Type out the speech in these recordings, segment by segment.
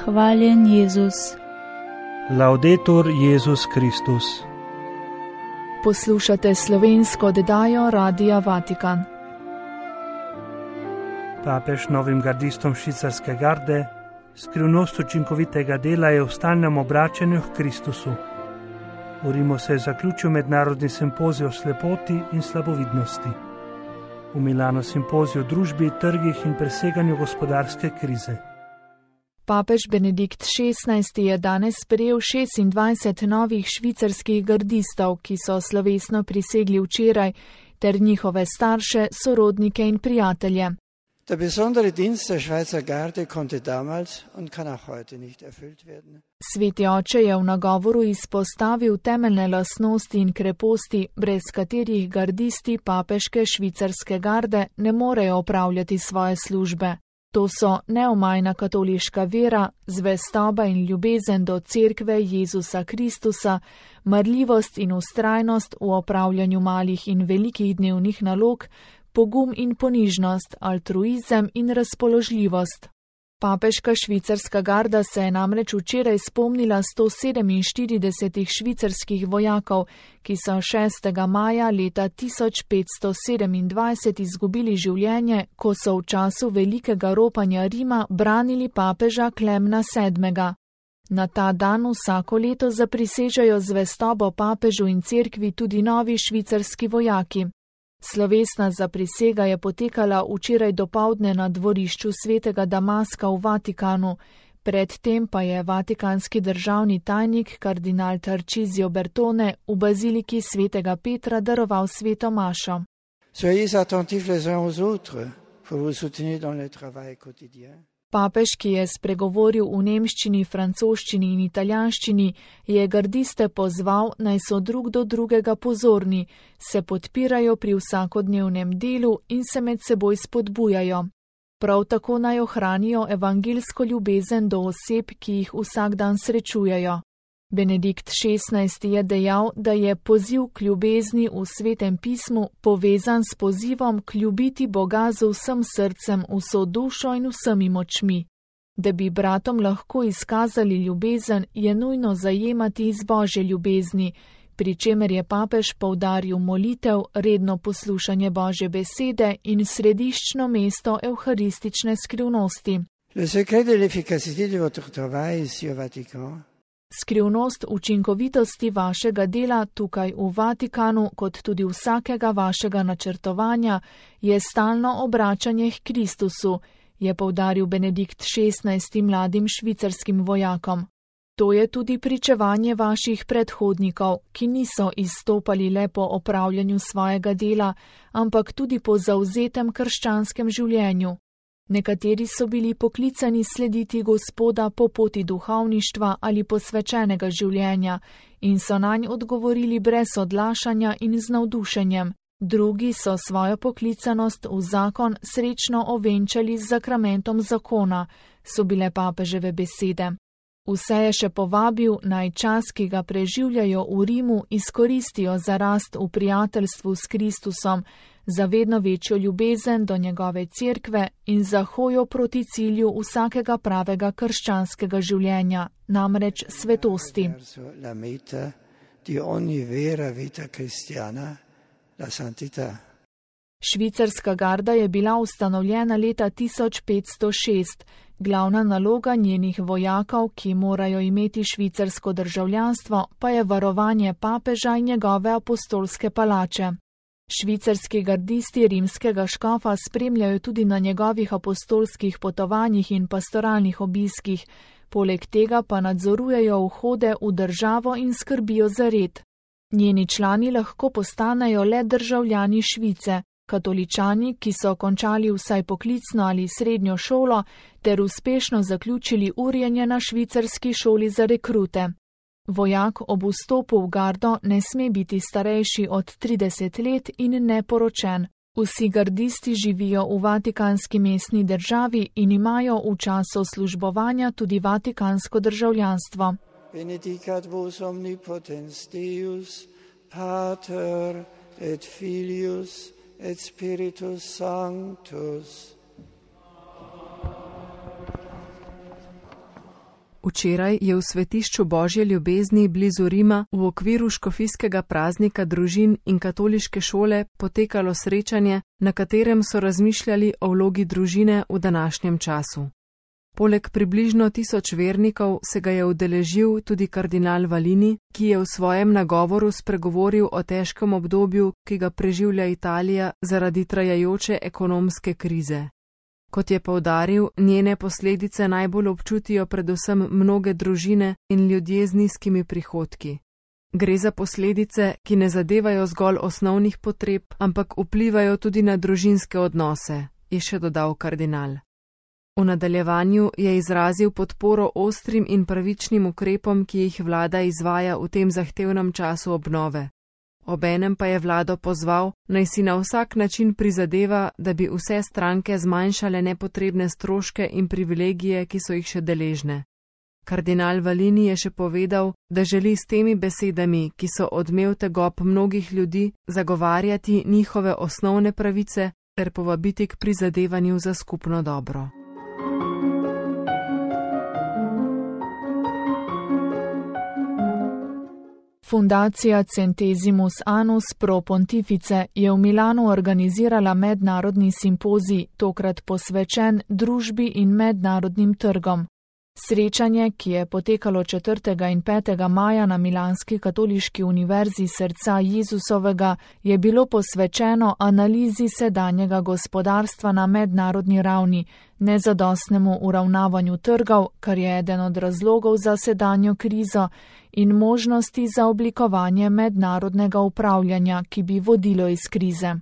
Hvaljen Jezus. Laudetur Jezus Kristus. Poslušate slovensko oddajo Radia Vatikan. Papež novim gardistom švicarske garde: skrivnost učinkovitega dela je v stalnem obračanju k Kristusu. V Rimu se je zaključil mednarodni simpozij o slepoti in slabovidnosti. V Milanu simpozij o družbi, trgih in preseganju gospodarske krize. Papež Benedikt XVI je danes sprejel 26 novih švicarskih gardistov, ki so slovesno prisegli včeraj, ter njihove starše, sorodnike in prijatelje. Der besondere Dienst der Schweizer Garde konnte damals und kann auch heute nicht erfüllt werden. Sveti oče je v nagovoru izpostavil temeljne lastnosti in kreposti, brez katerih gardisti papeške švicarske garde ne morejo opravljati svoje službe. To so neomajna katoliška vera, zvestoba in ljubezen do cerkve Jezusa Kristusa, marljivost in vztrajnost v opravljanju malih in velikih dnevnih nalog, pogum in ponižnost, altruizem in razpoložljivost. Papeška švicarska garda se je namreč včeraj spomnila 147 švicarskih vojakov, ki so 6. maja leta 1527 izgubili življenje, ko so v času velikega ropanja Rima branili papeža Klemna VII. Na ta dan vsako leto zaprisežejo zvestobo papežu in cerkvi tudi novi švicarski vojaki. Slovesna zaprisega je potekala včeraj dopoldne na dvorišču svetega Damaska v Vatikanu, predtem pa je vatikanski državni tajnik kardinal Tarcisio Bertone v baziliki svetega Petra daroval sveto mašo. Soyez attentifs les uns aux autres pour vous soutenir dans le travail quotidien. Papež, ki je spregovoril v nemščini, francoščini in italijanščini, je gardiste pozval, naj so drug do drugega pozorni, se podpirajo pri vsakodnevnem delu in se med seboj spodbujajo. Prav tako naj ohranijo evangelsko ljubezen do oseb, ki jih vsak dan srečujejo. Benedikt XVI je dejal, da je poziv k ljubezni v Svetem pismu povezan s pozivom k ljubiti Boga z vsem srcem, vso dušo in vsemi močmi. Da bi bratom lahko izkazali ljubezen, je nujno zajemati iz Božje ljubezni, pri čemer je papež poudaril molitev, redno poslušanje Božje besede in središčno mesto evharistične skrivnosti. Le secret de l'efficacité de votre travail ici au Vatican. Skrivnost učinkovitosti vašega dela tukaj v Vatikanu, kot tudi vsakega vašega načrtovanja, je stalno obračanje k Kristusu, je poudaril Benedikt XVI mladim švicarskim vojakom. To je tudi pričevanje vaših predhodnikov, ki niso izstopali le po opravljanju svojega dela, ampak tudi po zavzetem krščanskem življenju. Nekateri so bili poklicani slediti Gospoda po poti duhovništva ali posvečenega življenja in so nanj odgovorili brez odlašanja in z navdušenjem. Drugi so svojo poklicanost v zakon srečno ovenčali z zakramentom zakona, so bile papeževe besede. Vse je še povabil, naj čas, ki ga preživljajo v Rimu, izkoristijo za rast v prijateljstvu s Kristusom, za vedno večjo ljubezen do njegove cerkve in za hojo proti cilju vsakega pravega krščanskega življenja, namreč svetosti. Švicarska garda je bila ustanovljena leta 1506. Glavna naloga njenih vojakov, ki morajo imeti švicarsko državljanstvo, pa je varovanje papeža in njegove apostolske palače. Švicarski gardisti rimskega škofa spremljajo tudi na njegovih apostolskih potovanjih in pastoralnih obiskih, poleg tega pa nadzorujejo vhode v državo in skrbijo za red. Njeni člani lahko postanejo le državljani Švice, katoličani, ki so končali vsaj poklicno ali srednjo šolo ter uspešno zaključili urjenje na švicarski šoli za rekrute. Vojak ob vstopu v gardo ne sme biti starejši od 30 let in neporočen. Vsi gardisti živijo v vatikanski mestni državi in imajo v času službovanja tudi vatikansko državljanstvo. Benedicat vos omnipotens Deus, Pater et Filius et Spiritus Sanctus. Včeraj je v svetišču Božje ljubezni blizu Rima v okviru škofijskega praznika družin in katoliške šole potekalo srečanje, na katerem so razmišljali o vlogi družine v današnjem času. Poleg približno 1000 vernikov se ga je udeležil tudi kardinal Valini, ki je v svojem nagovoru spregovoril o težkem obdobju, ki ga preživlja Italija zaradi trajajoče ekonomske krize. Kot je poudaril, njene posledice najbolj občutijo predvsem mnoge družine in ljudje z nizkimi prihodki. Gre za posledice, ki ne zadevajo zgolj osnovnih potreb, ampak vplivajo tudi na družinske odnose, je še dodal kardinal. V nadaljevanju je izrazil podporo ostrim in pravičnim ukrepom, ki jih vlada izvaja v tem zahtevnem času obnove. Obenem pa je vlado pozval, naj si na vsak način prizadeva, da bi vse stranke zmanjšale nepotrebne stroške in privilegije, ki so jih še deležne. Kardinal Valini je še povedal, da želi s temi besedami, ki so odmev tegob mnogih ljudi, zagovarjati njihove osnovne pravice ter povabiti k prizadevanju za skupno dobro. Fundacija Centesimus Annus Pro Pontifice je v Milanu organizirala mednarodni simpozij, tokrat posvečen družbi in mednarodnim trgom. Srečanje, ki je potekalo 4. in 5. maja na Milanski katoliški univerzi Srca Jezusovega, je bilo posvečeno analizi sedanjega gospodarstva na mednarodni ravni, nezadostnemu uravnavanju trgov, kar je eden od razlogov za sedanjo krizo, in možnosti za oblikovanje mednarodnega upravljanja, ki bi vodilo iz krize.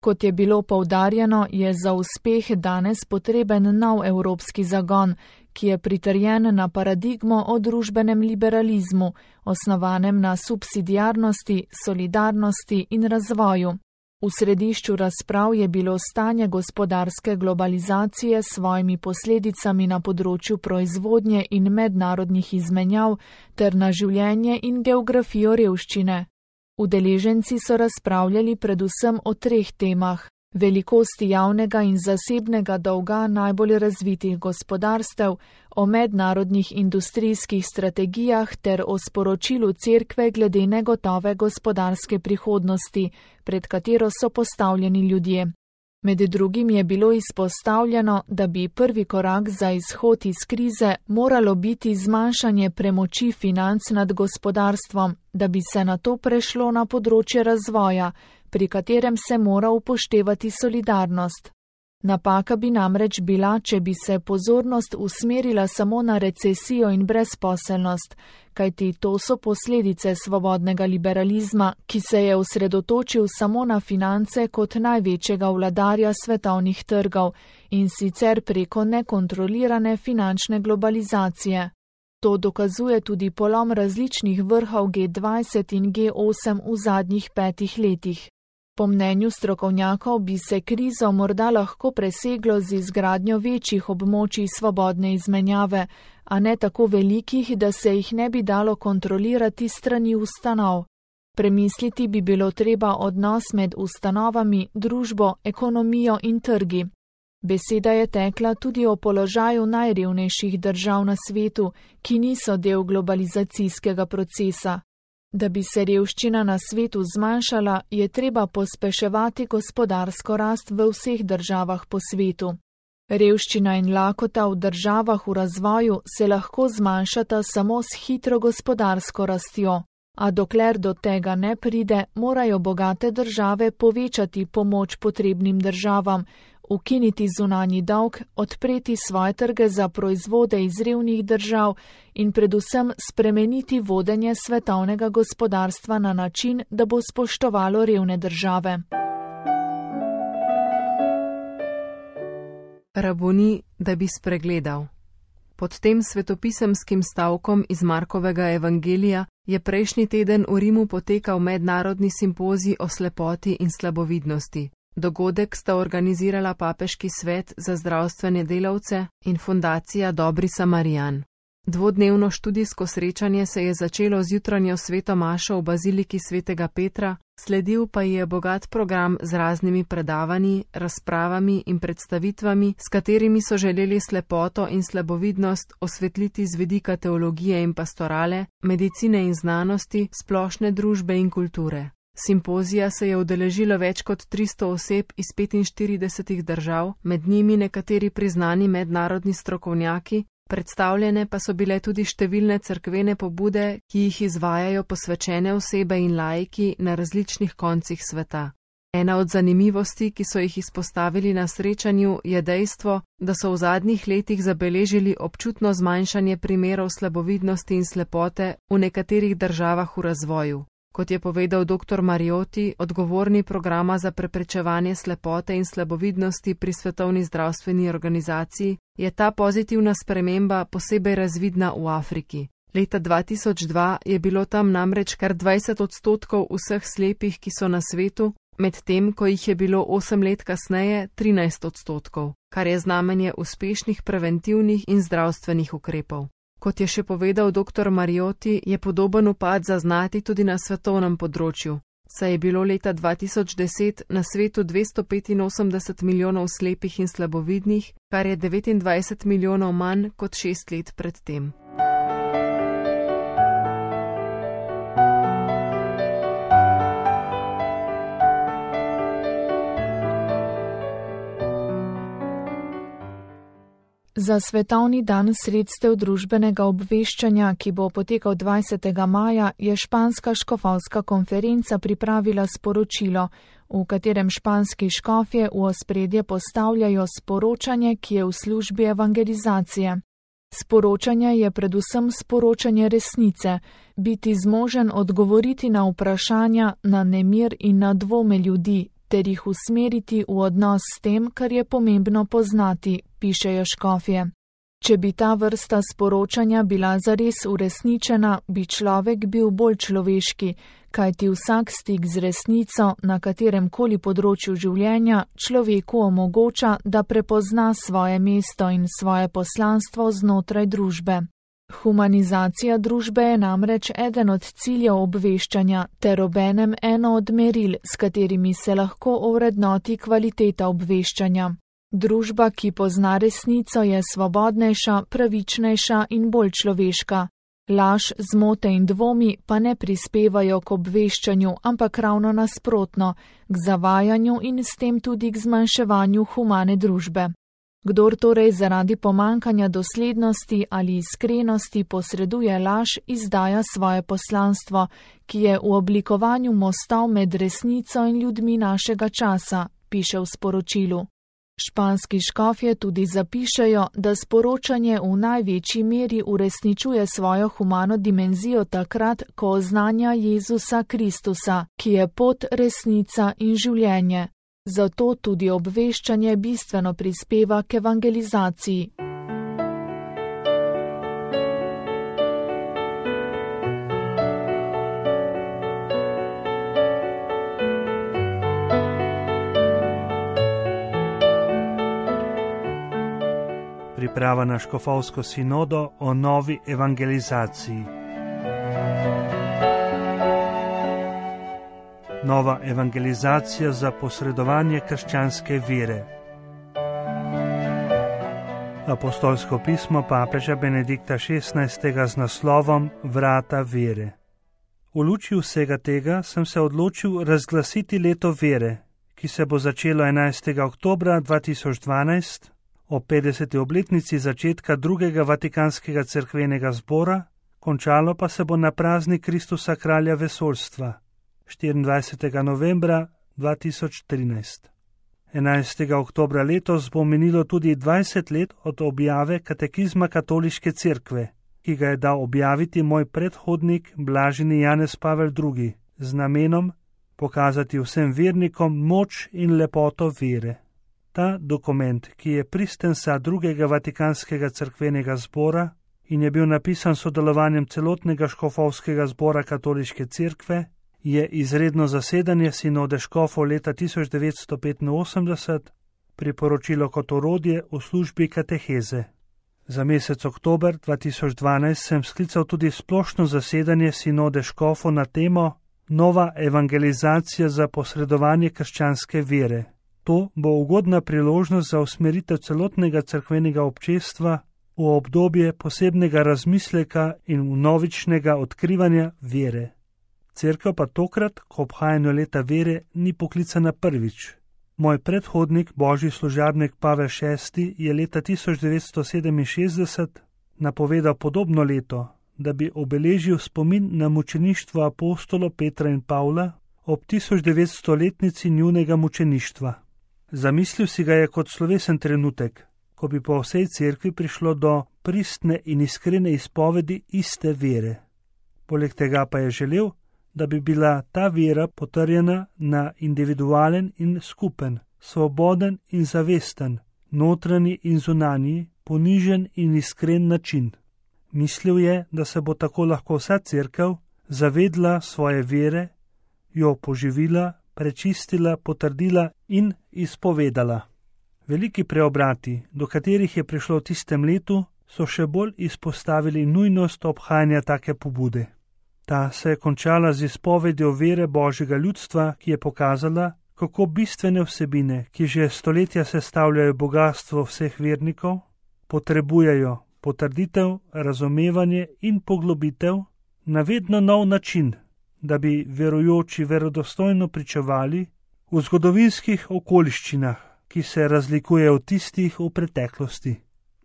Kot je bilo poudarjeno, je za uspeh danes potreben nov evropski zagon, ki je pritrjen na paradigmo o družbenem liberalizmu, osnovanem na subsidiarnosti, solidarnosti in razvoju. V središču razprav je bilo stanje gospodarske globalizacije s svojimi posledicami na področju proizvodnje in mednarodnih izmenjav ter na življenje in geografijo revščine. Udeleženci so razpravljali predvsem o 3 temah: velikosti javnega in zasebnega dolga najbolj razvitih gospodarstev, o mednarodnih industrijskih strategijah ter o sporočilu Cerkve glede negotove gospodarske prihodnosti, pred katero so postavljeni ljudje. Med drugim je bilo izpostavljeno, da bi prvi korak za izhod iz krize moralo biti zmanjšanje premoči financ nad gospodarstvom, da bi se nato prešlo na področje razvoja, pri katerem se mora upoštevati solidarnost. Napaka bi namreč bila, če bi se pozornost usmerila samo na recesijo in brezposelnost, kajti to so posledice svobodnega liberalizma, ki se je osredotočil samo na finance kot največjega vladarja svetovnih trgov in sicer preko nekontrolirane finančne globalizacije. To dokazuje tudi polom različnih vrhov G20 in G8 v zadnjih 5 letih. Po mnenju strokovnjakov bi se krizo morda lahko preseglo z izgradnjo večjih območij svobodne izmenjave, a ne tako velikih, da se jih ne bi dalo kontrolirati strani ustanov. Premisliti bi bilo treba odnos med ustanovami, družbo, ekonomijo in trgi. Beseda je tekla tudi o položaju najrevnejših držav na svetu, ki niso del globalizacijskega procesa. Da bi se revščina na svetu zmanjšala, je treba pospeševati gospodarsko rast v vseh državah po svetu. Revščina in lakota v državah v razvoju se lahko zmanjšata samo s hitro gospodarsko rastjo, a dokler do tega ne pride, morajo bogate države povečati pomoč potrebnim državam, ukiniti zunanji dolg, odpreti svoje trge za proizvode iz revnih držav in predvsem spremeniti vodenje svetovnega gospodarstva na način, da bo spoštovalo revne države. Raboni, da bi spregledal. Pod tem svetopisemskim stavkom iz Markovega evangelija je prejšnji teden v Rimu potekal mednarodni simpozij o slepoti in slabovidnosti. Dogodek sta organizirala Papeški svet za zdravstvene delavce in fundacija Dobri Samarijan. Dvodnevno študijsko srečanje se je začelo z jutranjo sveto mašo v baziliki svetega Petra, sledil pa je bogat program z raznimi predavanji, razpravami in predstavitvami, s katerimi so želeli slepoto in slabovidnost osvetliti z vidika teologije in pastorale, medicine in znanosti, splošne družbe in kulture. Simpozija se je udeležilo več kot 300 oseb iz 45 držav, med njimi nekateri priznani mednarodni strokovnjaki, predstavljene pa so bile tudi številne cerkvene pobude, ki jih izvajajo posvečene osebe in laiki na različnih koncih sveta. Ena od zanimivosti, ki so jih izpostavili na srečanju, je dejstvo, da so v zadnjih letih zabeležili občutno zmanjšanje primerov slabovidnosti in slepote v nekaterih državah v razvoju. Kot je povedal dr. Mariotti, odgovorni programa za preprečevanje slepote in slabovidnosti pri Svetovni zdravstveni organizaciji, je ta pozitivna sprememba posebej razvidna v Afriki. Leta 2002 je bilo tam namreč kar 20% vseh slepih, ki so na svetu, medtem ko jih je bilo 8 let kasneje 13%, kar je znamenje uspešnih preventivnih in zdravstvenih ukrepov. Kot je še povedal dr. Mariotti, je podoben upad zaznati tudi na svetovnem področju, saj je bilo leta 2010 na svetu 285 milijonov slepih in slabovidnih, kar je 29 milijonov manj kot 6 let predtem. Za Svetovni dan sredstev družbenega obveščanja, ki bo potekal 20. maja, je španska škofovska konferenca pripravila sporočilo, v katerem španski škofje v ospredje postavljajo sporočanje, ki je v službi evangelizacije. Sporočanje je predvsem sporočanje resnice, biti zmožen odgovoriti na vprašanja, na nemir in na dvome ljudi, ter jih usmeriti v odnos s tem, kar je pomembno poznati, pišejo škofje. Če bi ta vrsta sporočanja bila zares uresničena, bi človek bil bolj človeški, kajti vsak stik z resnico na katerem koli področju življenja človeku omogoča, da prepozna svoje mesto in svoje poslanstvo znotraj družbe. Humanizacija družbe je namreč eden od ciljev obveščanja ter obenem eno od meril, s katerimi se lahko ovrednoti kvaliteta obveščanja. Družba, ki pozna resnico, je svobodnejša, pravičnejša in bolj človeška. Laž, zmote in dvomi pa ne prispevajo k obveščanju, ampak ravno nasprotno, k zavajanju in s tem tudi k zmanjševanju humane družbe. Kdor torej zaradi pomankanja doslednosti ali iskrenosti posreduje laž, izdaja svoje poslanstvo, ki je v oblikovanju mostov med resnico in ljudmi našega časa, piše v sporočilu. Španski škofje tudi zapišejo, da sporočanje v največji meri uresničuje svojo humano dimenzijo takrat, ko oznanja Jezusa Kristusa, ki je pot, resnica in življenje. Zato tudi obveščanje bistveno prispeva k evangelizaciji. Priprava na škofovsko sinodo o novi evangelizaciji. Nova evangelizacija za posredovanje krščanske vere. Apostolsko pismo papeža Benedikta XVI. Z naslovom Vrata vere. V luči vsega tega sem se odločil razglasiti leto vere, ki se bo začelo 11. oktobra 2012 o 50. obletnici začetka drugega Vatikanskega cerkvenega zbora, končalo pa se bo na praznik Kristusa kralja vesoljstva 24. novembra 2013. 11. oktobra letos bo minilo tudi 20 let od objave katekizma Katoliške cerkve, ki ga je dal objaviti moj predhodnik blaženi Janez Pavel II. Z namenom pokazati vsem vernikom moč in lepoto vere. Ta dokument, ki je pristensa drugega Vatikanskega cerkvenega zbora in je bil napisan s sodelovanjem celotnega škofovskega zbora Katoliške cerkve, je izredno zasedanje sinode škofov leta 1985 priporočilo kot orodje v službi kateheze. Za mesec oktober 2012 sem sklical tudi splošno zasedanje sinode škofov na temo Nova evangelizacija za posredovanje krščanske vere. To bo ugodna priložnost za usmeritev celotnega cerkvenega občestva v obdobje posebnega razmisleka in vnovičnega odkrivanja vere. Cerkev pa tokrat, ko obhajanju leta vere, ni poklicana prvič. Moj predhodnik, božji služabnik Pavel VI, je leta 1967 napovedal podobno leto, da bi obeležil spomin na mučeništvo apostolov Petra in Pavla ob 1900-letnici njunega mučeništva. Zamislil si ga je kot slovesen trenutek, ko bi po vsej cerkvi prišlo do pristne in iskrene izpovedi iste vere. Poleg tega pa je želel, da bi bila ta vera potrjena na individualen in skupen, svoboden in zavesten, notranji in zunanji, ponižen in iskren način. Mislil je, da se bo tako lahko vsa cerkev zavedla svoje vere, jo poživila, prečistila, potrdila in izpovedala. Veliki preobrati, do katerih je prišlo v tistem letu, so še bolj izpostavili nujnost obhajanja take pobude. Ta se je končala z izpovedjo vere božjega ljudstva, ki je pokazala, kako bistvene vsebine, ki že stoletja sestavljajo bogastvo vseh vernikov, potrebujejo potrditev, razumevanje in poglobitev na vedno nov način, da bi verujoči verodostojno pričevali v zgodovinskih okoliščinah, ki se razlikujejo od tistih v preteklosti.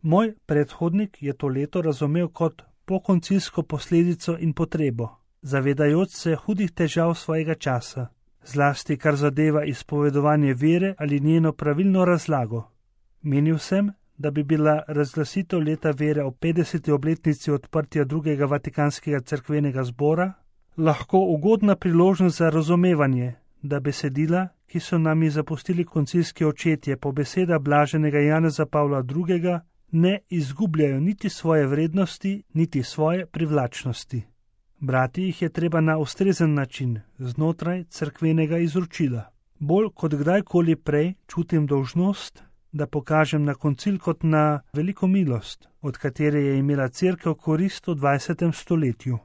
Moj predhodnik je to leto razumel kot pokoncilsko posledico in potrebo, zavedajoč se hudih težav svojega časa, zlasti kar zadeva izpovedovanje vere ali njeno pravilno razlago. Menil sem, da bi bila razglasitev leta vere ob 50. obletnici odprtja drugega Vatikanskega cerkvenega zbora lahko ugodna priložnost za razumevanje, da besedila, ki so nam jih zapustili koncilski očetje po besedah blaženega Janeza Pavla II., ne izgubljajo niti svoje vrednosti, niti svoje privlačnosti. Brati jih je treba na ustrezen način, znotraj cerkvenega izročila. Bolj kot kdajkoli prej čutim dolžnost, da pokažem na koncil kot na veliko milost, od katere je imela cerkev korist v 20. stoletju.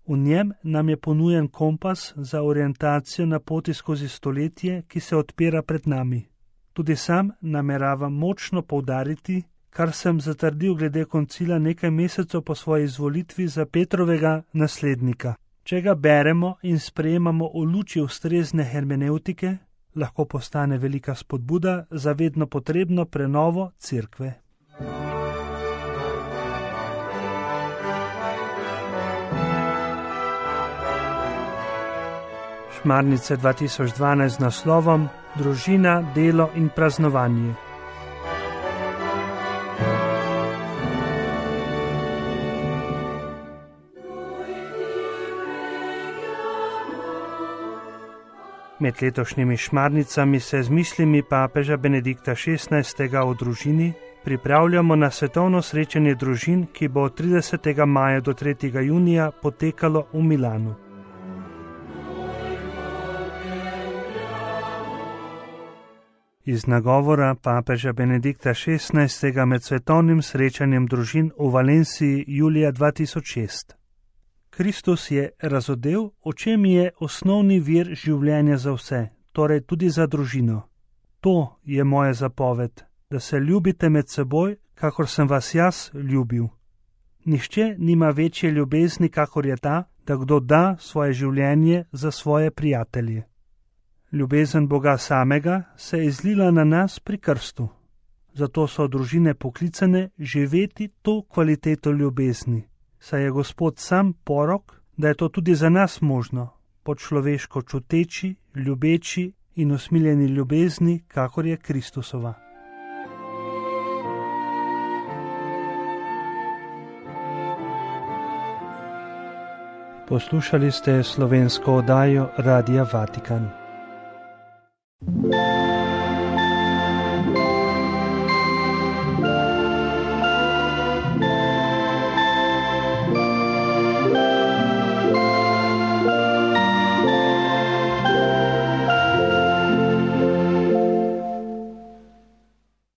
V njem nam je ponujen kompas za orientacijo na poti skozi stoletje, ki se odpira pred nami. Tudi sam nameravam močno poudariti, kar sem zatrdil glede koncila nekaj mesecev po svoji izvolitvi za Petrovega naslednika. Če ga beremo in sprejemamo v luči ustrezne hermenevtike, lahko postane velika spodbuda za vedno potrebno prenovo cerkve. Šmarnice 2012 z naslovom Družina, delo in praznovanje. Med letošnjimi šmarnicami se z mislimi papeža Benedikta XVI. O družini pripravljamo na svetovno srečanje družin, ki bo od 30. maja do 3. junija potekalo v Milanu. Iz nagovora papeža Benedikta XVI. Med svetovnim srečanjem družin v Valenciji julija 2006. Kristus je razodel, v čem je osnovni vir življenja za vse, torej tudi za družino. To je moja zapoved, da se ljubite med seboj, kakor sem vas jaz ljubil. Nihče nima večje ljubezni, kakor je ta, da kdo da svoje življenje za svoje prijatelje. Ljubezen Boga samega se je izlila na nas pri krstu. Zato so družine poklicane živeti to kvaliteto ljubezni. Saj je Gospod sam porok, da je to tudi za nas možno, po človeško čuteči, ljubeči in usmiljeni ljubezni, kakor je Kristusova. Poslušali ste slovensko oddajo Radia Vatikan.